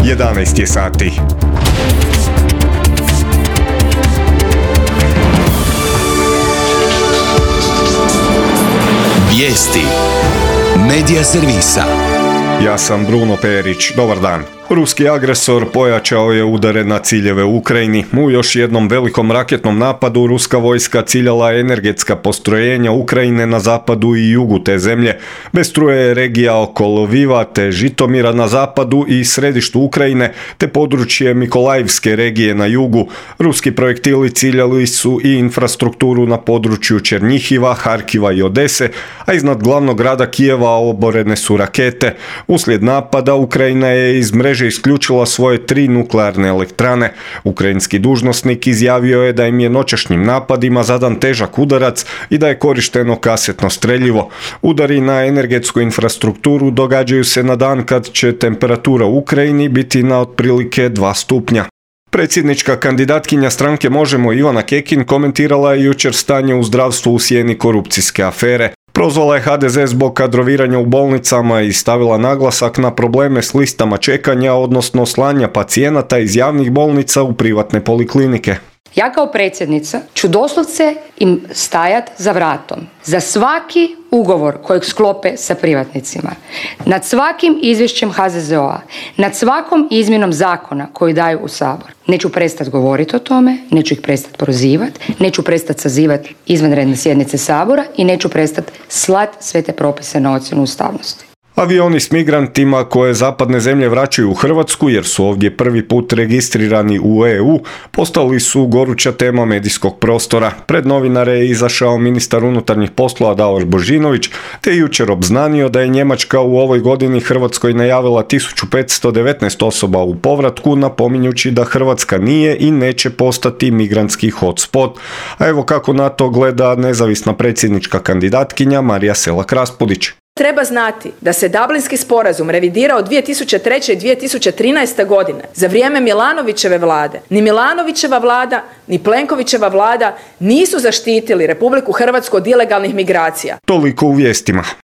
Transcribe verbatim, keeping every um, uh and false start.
jedanaest je sati. Vijesti Medija servisa. Ja sam Bruno Perić. Dobar dan. Ruski agresor pojačao je udare na ciljeve u Ukrajini. U još jednom velikom raketnom napadu ruska vojska ciljala energetska postrojenja Ukrajine na zapadu i jugu te zemlje. Bez struje je regija oko Lviva te Žitomira na zapadu i središtu Ukrajine te područje Mikolajivske regije na jugu. Ruski projektili ciljali su i infrastrukturu na području Černjihiva, Harkiva i Odese, a iznad glavnog grada Kijeva oborene su rakete. Uslijed napada Ukrajina je iz mreže isključila svoje tri nuklearne elektrane. Ukrajinski dužnosnik izjavio je da im je noćašnjim napadima zadan težak udarac i da je korišteno kasetno streljivo. Udari na energetsku infrastrukturu događaju se na dan kad će temperatura u Ukrajini biti na otprilike dva stupnja. Predsjednička kandidatkinja stranke Možemo Ivana Kekin komentirala je jučer stanje u zdravstvu u sjeni korupcijske afere. Prozvala je ha de ze zbog kadroviranja u bolnicama i stavila naglasak na probleme s listama čekanja, odnosno slanja pacijenata iz javnih bolnica u privatne poliklinike. Ja kao predsjednica ću doslovce im stajat za vratom. Za svaki ugovor kojeg sklope sa privatnicima, nad svakim izvješćem ha ze ze o-a, nad svakom izmjenom zakona koji daju u Sabor. Neću prestati govoriti o tome, neću ih prestati prozivati, neću prestati sazivati izvanredne sjednice Sabora i neću prestati slati sve te propise na ocjenu ustavnosti. Avioni s migrantima koje zapadne zemlje vraćaju u Hrvatsku jer su ovdje prvi put registrirani u e u, postali su goruća tema medijskog prostora. Pred novinare je izašao ministar unutarnjih poslova Davor Božinović te jučer obznanio da je Njemačka u ovoj godini Hrvatskoj najavila tisuću petsto devetnaest osoba u povratku, napominjući da Hrvatska nije i neće postati migrantski hotspot. A evo kako na to gleda nezavisna predsjednička kandidatkinja Marija Selak-Raspudić. Treba znati da se Dublinski sporazum revidirao dvije tisuće treće i dvije tisuće trinaeste. godine za vrijeme Milanovićeve vlade. Ni Milanovićeva vlada, ni Plenkovićeva vlada nisu zaštitili Republiku Hrvatsku od ilegalnih migracija. Toliko u vijestima.